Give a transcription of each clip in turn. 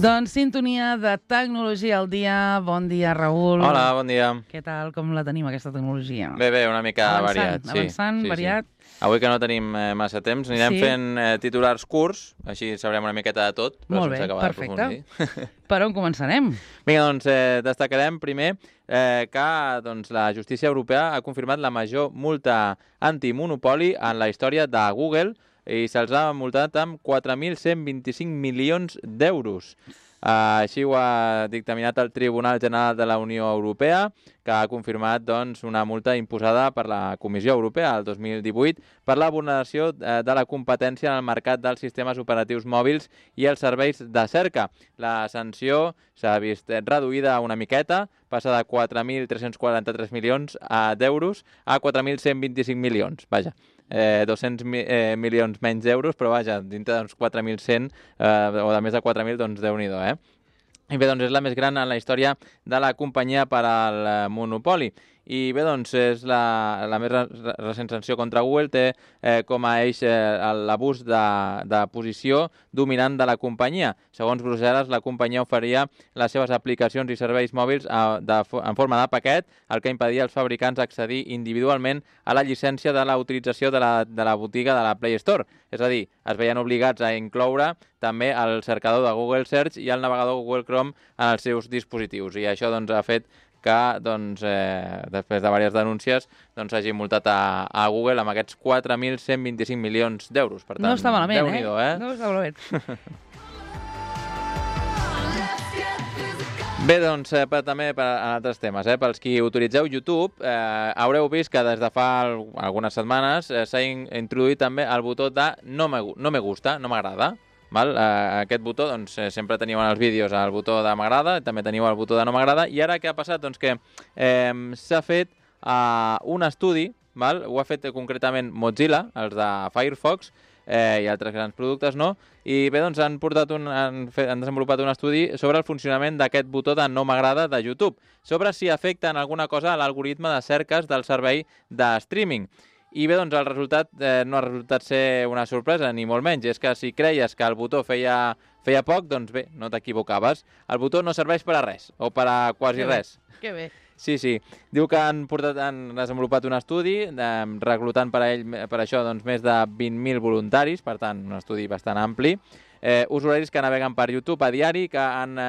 Doncs sintonia de tecnologia al dia. Bon dia, Raül. Hola, bon dia. Què tal? Com la tenim, aquesta tecnologia? Bé, una mica variat. Avançant, variat. Avui que no tenim massa temps, anirem fent titulars curts, així sabrem una miqueta de tot, però sense acabar d'aprofundir. Per on començarem? Vinga, doncs destacarem primer que la justícia europea ha confirmat la major multa antimonopoli en la història de Google i se'ls ha multat amb 4.125 milions d'euros. Així ho ha dictaminat el Tribunal General de la Unió Europea, que ha confirmat una multa imposada per la Comissió Europea el 2018 per la vulneració de la competència en el mercat dels sistemes operatius mòbils i els serveis de cerca. La sanció s'ha vist reduïda una miqueta, passa de 4.343 milions d'euros a 4.125 milions. Vaja, 200 milions menys d'euros, però vaja, dintre d'uns 4.100 o de més de 4.000, doncs Déu-n'hi-do, I bé, és la més gran en la història de la companyia per al monopoli. I bé, és la més recent sanció contra Google, té com a eix l'abús de posició dominant de la companyia. Segons Brussel·les, la companyia oferia les seves aplicacions i serveis mòbils en forma de paquet, el que impedia als fabricants accedir individualment a la llicència de la utilització de la botiga de la Play Store. És a dir, es veien obligats a incloure també el cercador de Google Search i el navegador Google Chrome en els seus dispositius. I això ha fet que després de diverses denúncies s'hagi multat a Google amb aquests 4.125 milions d'euros. Per tant, no està malament, Déu-n'hi-do, No està malament. Bé, també en altres temes, pels qui utilitzeu YouTube, haureu vist que des de fa algunes setmanes s'ha introduït també el botó de no me gusta, no m'agrada. Aquest botó, sempre teníeu en els vídeos el botó de m'agrada, també teniu el botó de no m'agrada, i ara què ha passat? Que s'ha fet un estudi, ho ha fet concretament Mozilla, els de Firefox, i altres grans productes, no? I bé, han desenvolupat un estudi sobre el funcionament d'aquest botó de no m'agrada de YouTube, sobre si afecta en alguna cosa a l'algoritme de cerques del servei de streaming. I bé, el resultat no ha resultat ser una sorpresa, ni molt menys. És que si creies que el botó feia poc, doncs bé, no t'equivocaves. El botó no serveix per a res, o per a quasi res. Que bé. Sí. Diu que han desenvolupat un estudi, reclutant per això més de 20.000 voluntaris, per tant, un estudi bastant ampli. Usuaris que naveguen per YouTube a diari, que han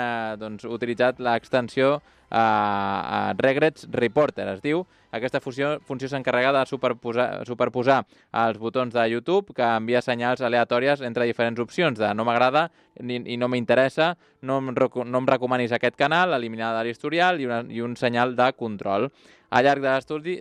utilitzat l'extensió Regrets Reporter, es diu. Aquesta funció s'encarrega de superposar els botons de YouTube que envia senyals aleatòries entre diferents opcions de no m'agrada i no m'interessa, no em recomanis aquest canal, eliminar de l'historial i un senyal de control. Al llarg de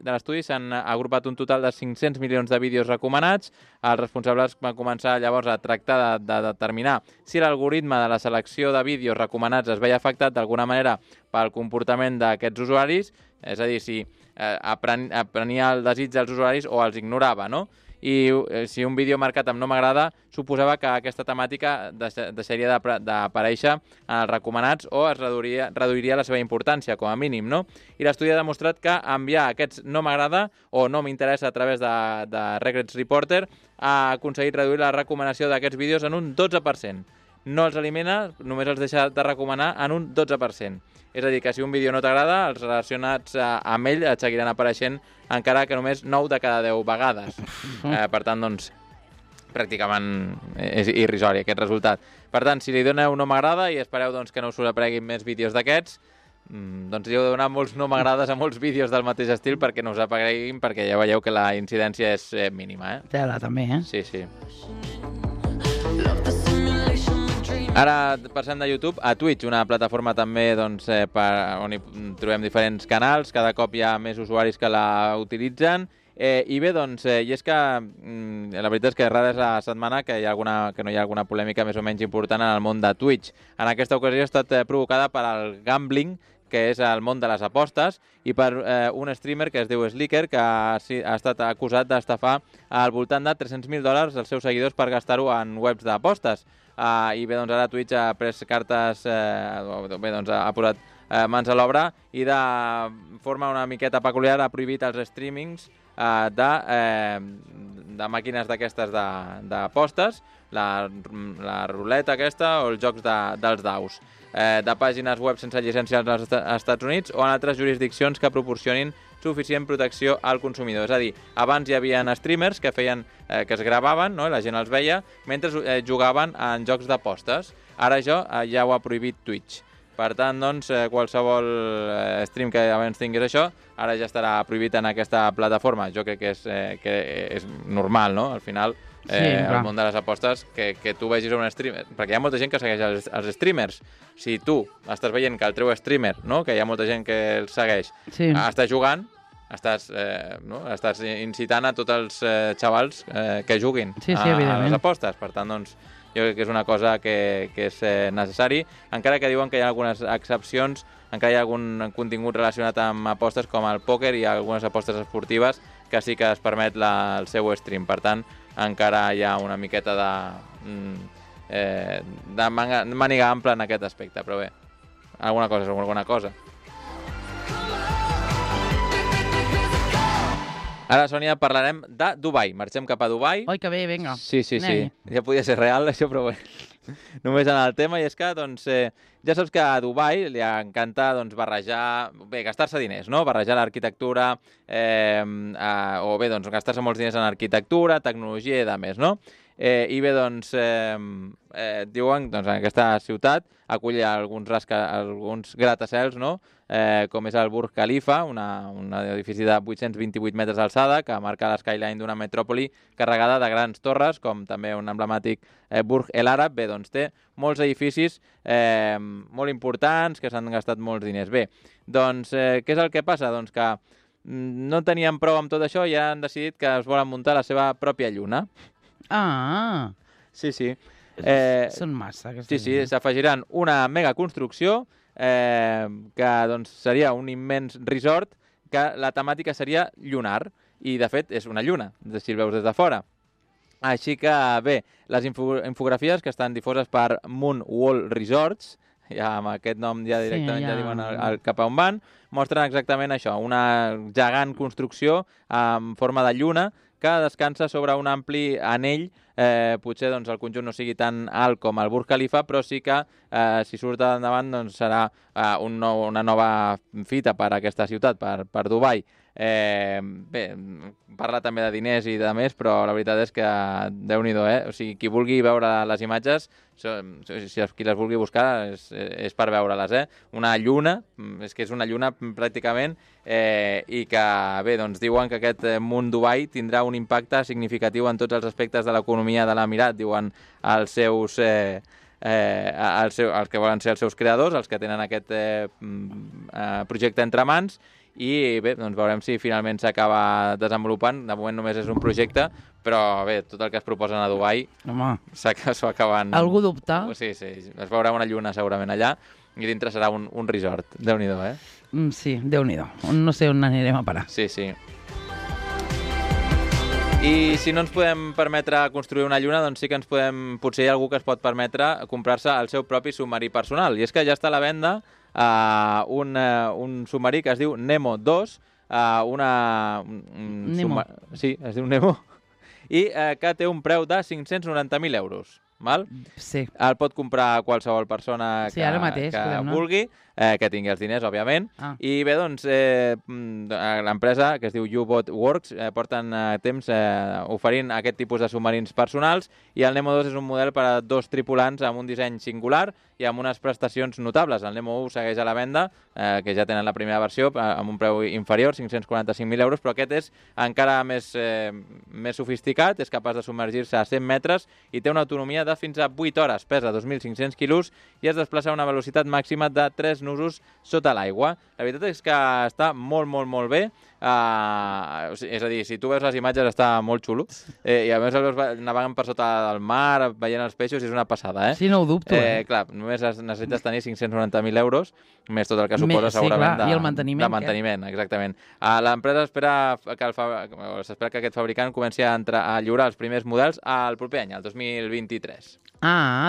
l'estudi s'han agrupat un total de 500 milions de vídeos recomanats. Els responsables van començar llavors a tractar de determinar si l'algoritme de la selecció de vídeos recomanats es veia afectat d'alguna manera pel comportament d'aquests usuaris, és a dir, si aprenia el desig dels usuaris o els ignorava, no? I si un vídeo marcat amb no m'agrada suposava que aquesta temàtica deixaria d'aparèixer en els recomanats o es reduiria la seva importància, com a mínim, no? I l'estudi ha demostrat que enviar aquests no m'agrada o no m'interessa a través de Regrets Reporter ha aconseguit reduir la recomanació d'aquests vídeos en un 12%. No els elimina, només els deixa de recomanar en un 12%. És a dir, que si un vídeo no t'agrada, els relacionats amb ell et seguiran apareixent encara que només 9 de cada 10 vegades. Per tant, pràcticament és irrisori aquest resultat. Per tant, si li doneu no m'agrada i espereu que no us apareguin més vídeos d'aquests, hi heu de donar molts no m'agrades a molts vídeos del mateix estil perquè no us apareguin, perquè ja veieu que la incidència és mínima. Tela, també, Sí. Ara passem de YouTube a Twitch, una plataforma també on hi trobem diferents canals, cada cop hi ha més usuaris que la utilitzen, i bé, i és que la veritat és que rara és la setmana que no hi ha alguna polèmica més o menys important en el món de Twitch. En aquesta ocasió ha estat provocada per al gambling, que és el món de les apostes, i per un streamer que es diu Slicker, que ha estat acusat d'estafar al voltant de $300.000 als seus seguidors per gastar-ho en webs d'apostes. I bé, ara Twitch ha pres cartes, ha posat mans a l'obra i de forma una miqueta peculiar ha prohibit els streamings de màquines d'aquestes d'apostes, la ruleta aquesta o els jocs dels daus, de pàgines web sense llicència als Estats Units o en altres jurisdiccions que proporcionin suficient protecció al consumidor. És a dir, abans hi havia streamers que feien que es gravaven, no? I la gent els veia, mentre jugaven en jocs d'apostes. Ara això ja ho ha prohibit Twitch. Per tant, doncs, qualsevol stream que abans tingués això, ara ja estarà prohibit en aquesta plataforma. Jo crec que és normal, no? Al final, el món de les apostes, que tu vegis un streamer, perquè hi ha molta gent que segueix els streamers. Si tu estàs veient que el teu streamer, no? Que hi ha molta gent que el segueix, està jugant, estàs incitant a tots els xavals que juguin a les apostes. Per tant, doncs, jo crec que és una cosa que és necessari, encara que diuen que hi ha algunes excepcions, encara hi ha algun contingut relacionat amb apostes com el pòquer i algunes apostes esportives que sí que es permet el seu stream. Per tant, encara hi ha una miqueta de màniga ampla en aquest aspecte, però bé, alguna cosa és alguna cosa. Ara, Sònia, parlarem de Dubai. Marxem cap a Dubai. Oi, que bé, vinga. Sí. Ja podia ser real, això, però bé. Només en el tema, i és que, doncs, ja saps que a Dubai li encanta, doncs, barrejar... Bé, gastar-se diners, no? Barrejar l'arquitectura, o bé, doncs, gastar-se molts diners en arquitectura, tecnologia i de més, no? I bé, doncs, diuen, doncs, en aquesta ciutat acull alguns gratacels, no? Com és el Burj Khalifa, un edifici de 828 metres d'alçada que marca l'eskyline d'una metròpoli carregada de grans torres, com també un emblemàtic Burj El Arab. Bé, doncs té molts edificis molt importants que s'han gastat molts diners. Bé, doncs què és el que passa? Doncs que no tenien prou amb tot això i han decidit que es volen muntar la seva pròpia lluna. Ah! Sí. Són massa. Sí, s'afegiran una megaconstrucció que doncs, seria un immens resort que la temàtica seria lunar i de fet és una lluna, si el veus des de fora. Així que bé, les infografies que estan difoses per Moon Wall Resorts, ja amb aquest nom ja directament ja diuen cap a on van, mostren exactament això, una gegant construcció en forma de lluna que descansa sobre un ampli anell. Potser doncs, el conjunt no sigui tan alt com el Burj Khalifa, però sí que si surt endavant doncs, serà una nova fita per a aquesta ciutat, per Dubai. Bé, parla també de diners i de més, però la veritat és que Déu-n'hi-do, O sigui, qui vulgui veure les imatges, si qui les vulgui buscar, és per veure-les, Una lluna, és que és una lluna pràcticament, i que, bé, doncs diuen que aquest Moon Dubai tindrà un impacte significatiu en tots els aspectes de l'economia de l'Emirat, diuen els que volen ser els seus creadors, els que tenen aquest projecte entre mans. I bé, doncs veurem si finalment s'acaba desenvolupant. De moment només és un projecte, però bé, tot el que es proposen a Dubai s'ho acaben... Algú dubta? Sí, es veurà una lluna segurament allà i dintre serà un resort. Déu-n'hi-do, Sí, Déu-n'hi-do. No sé on anirem a parar. Sí. I si no ens podem permetre construir una lluna, doncs sí que potser hi ha algú que es pot permetre comprar-se el seu propi submarí personal. I és que ja està a la venda un submarí que es diu Nemo 2, Nemo. Sí, es diu Nemo, i que té un preu de 590.000 euros. Val? Sí. El pot comprar qualsevol persona que vulgui, que tingui els diners, òbviament. I bé, doncs, l'empresa, que es diu U-Boat Works, porten temps oferint aquest tipus de submarins personals, i el Nemo 2 és un model per a 2 tripulants amb un disseny singular i amb unes prestacions notables. El Nemo 1 segueix a la venda, que ja tenen la primera versió, amb un preu inferior, 545.000 euros, però aquest és encara més sofisticat, és capaç de submergir-se a 100 metres i té una autonomia de fins a 8 hores, pesa 2.500 quilos i es desplaça a una velocitat màxima de 3 nusos sota l'aigua. La veritat és que està molt, molt, molt bé. És a dir, si tu veus les imatges està molt xulo. I a més el veus navegant per sota del mar, veient els peixos, és una passada, Sí, no ho dubto. Clar, només necessites tenir 590.000 euros, més tot el que suposa segurament i el manteniment. De manteniment, exactament. L'empresa s'espera que aquest fabricant comenci a lliurar els primers models el proper any, el 2023.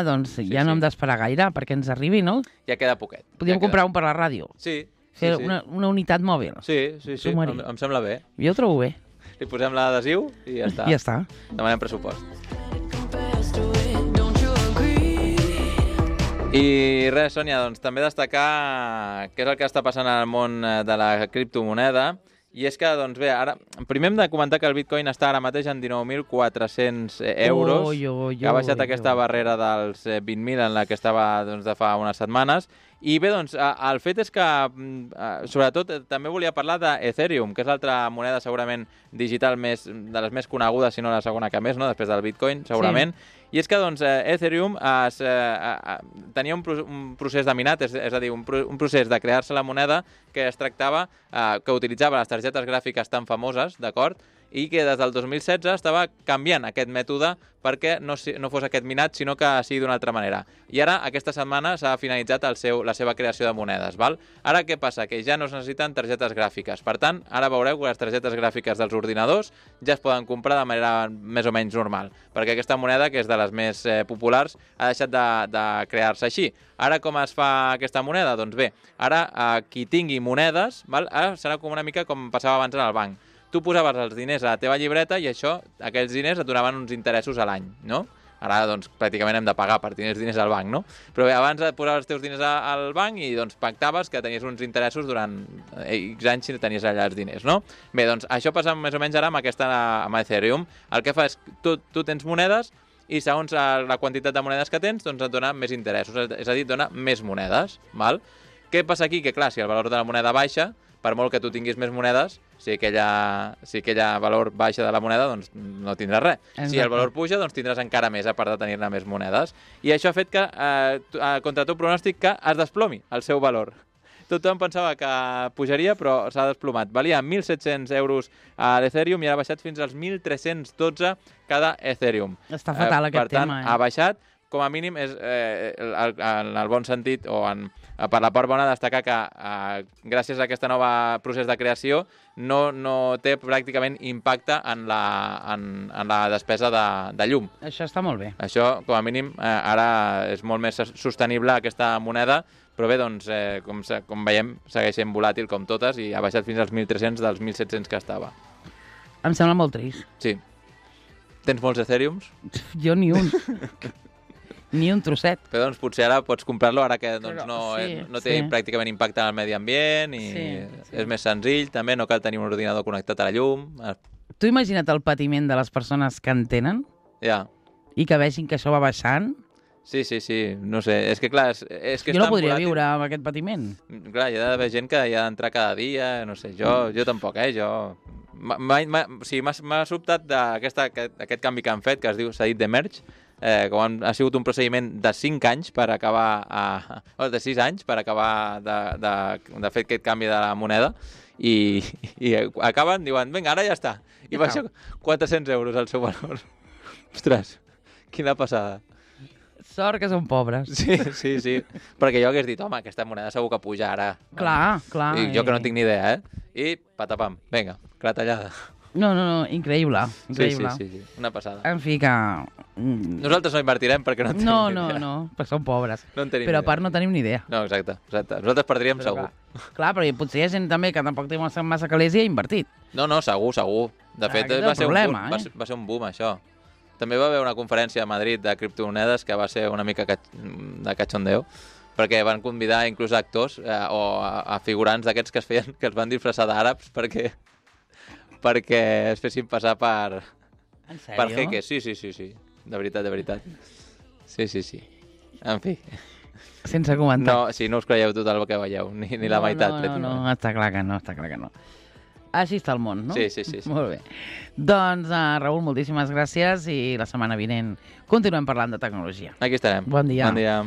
Doncs ja no hem d'esperar gaire perquè ens arribi, no? Ja queda poquet. Podríem comprar un per la ràdio. Sí. Fer una unitat mòbil. Sí, em sembla bé. Jo ho trobo bé. Li posem l'adhesiu i ja està. Ja està. Demanem pressupost. I res, Sònia, doncs també destacar què és el que està passant al món de la criptomoneda. I és que, doncs bé, ara, primer hem de comentar que el Bitcoin està ara mateix en 19.400 euros, que ha baixat aquesta barrera dels 20.000 en la que estava doncs, de fa unes setmanes. I bé, doncs, el fet és que, sobretot, també volia parlar d'Ethereum, que és l'altra moneda segurament digital de les més conegudes, si no la segona que més, no? Després del Bitcoin, segurament. Sí. I és que doncs, Ethereum tenia un procés de minat, és a dir, un procés de crear-se la moneda que es tractava, que utilitzava les targetes gràfiques tan famoses, d'acord? I que des del 2016 estava canviant aquest mètode perquè no fos aquest minat, sinó que sigui d'una altra manera. I ara, aquesta setmana, s'ha finalitzat la seva creació de monedes. Val? Ara què passa? Que ja no es necessiten targetes gràfiques. Per tant, ara veureu que les targetes gràfiques dels ordinadors ja es poden comprar de manera més o menys normal, perquè aquesta moneda, que és de les més populars, ha deixat de crear-se així. Ara com es fa aquesta moneda? Doncs bé, ara qui tingui monedes, val? Ara serà com una mica com passava abans en el banc. Tu posaves els diners a la teva llibreta i aquells diners et donaven uns interessos a l'any, no? Ara, doncs, pràcticament hem de pagar per tenir els diners al banc, no? Però bé, abans posaves els teus diners al banc i, doncs, pactaves que tenies uns interessos durant X anys si tenies allà els diners, no? Bé, doncs, això passa més o menys ara amb Ethereum. El que fa és que tu tens monedes i segons la quantitat de monedes que tens, doncs et dona més interessos, és a dir, et dona més monedes, val? Què passa aquí? Que, clar, si el valor de la moneda baixa, per molt que tu tinguis més monedes, si aquella valor baixa de la moneda, doncs no tindràs res. Exacte. Si el valor puja, doncs tindràs encara més, a part de tenir-ne més monedes. I això ha fet que, contra tot pronòstic, que es desplomi el seu valor. Tothom pensava que pujaria, però s'ha desplomat. Valia 1.700 euros a l'Ethereum i ara ha baixat fins als 1.312 cada Ethereum. Està fatal aquest tema. Per tant, ha baixat. Com a mínim, és en el bon sentit, o per la part bona, destacar que gràcies a aquest nou procés de creació no té pràcticament impacte en la despesa de llum. Això està molt bé. Això, com a mínim, ara és molt més sostenible aquesta moneda, però bé, doncs, com veiem, segueix sent volàtil com totes i ha baixat fins als 1.300 dels 1.700 que estava. Em sembla molt trist. Sí. Tens molts Ethereums? Jo ni un. Ni un trosset. Però doncs potser ara pots comprar-lo ara que doncs, no té pràcticament impacte en el medi ambient i és més senzill, també no cal tenir un ordinador connectat a la llum. Tu imagina't el patiment de les persones que en tenen? Ja. I que vegin que això va baixant? Sí, no sé, és que clar... Jo no podria viure amb aquest patiment. Clar, hi ha d'haver gent que hi ha d'entrar cada dia, no sé, jo tampoc, m'ha sobtat aquest canvi que han fet, que s'ha dit de merge, com ha sigut un procediment de 5 anys per acabar, de 6 anys per acabar de fer aquest canvi de la moneda i acaben, diuen, vinga, ara ja està. I baixa 400 euros el seu valor. Ostres, quina passada. Sort que són pobres. Sí. Perquè jo hagués dit, home, aquesta moneda segur que puja ara. Clar. I jo que no tinc ni idea, I patapam, vinga, clatellada. No, increïble. Sí, una passada. En fi, que... Nosaltres no invertirem perquè no tenim ni idea. No, perquè som pobres. No en tenim però a part no tenim ni idea. No, exacte. Nosaltres perdríem segur. Clar, però potser hi ha gent també que tampoc té massa calés i ha invertit. No, segur. De fet, va ser un boom, això. També va haver una conferència a Madrid de criptomonedes que va ser una mica de cachondeo, perquè van convidar inclús actors o a figurants d'aquests que es van disfressar d'àrabs perquè es fessin passar per jeques. Sí. De veritat. Sí. En fi. Sense comentar. No us creieu tot el que veieu, ni la meitat. No, està clar que no. Així està el món, no? Sí. Molt bé. Doncs, Raül, moltíssimes gràcies i la setmana vinent continuem parlant de tecnologia. Aquí estarem. Bon dia. Bon dia.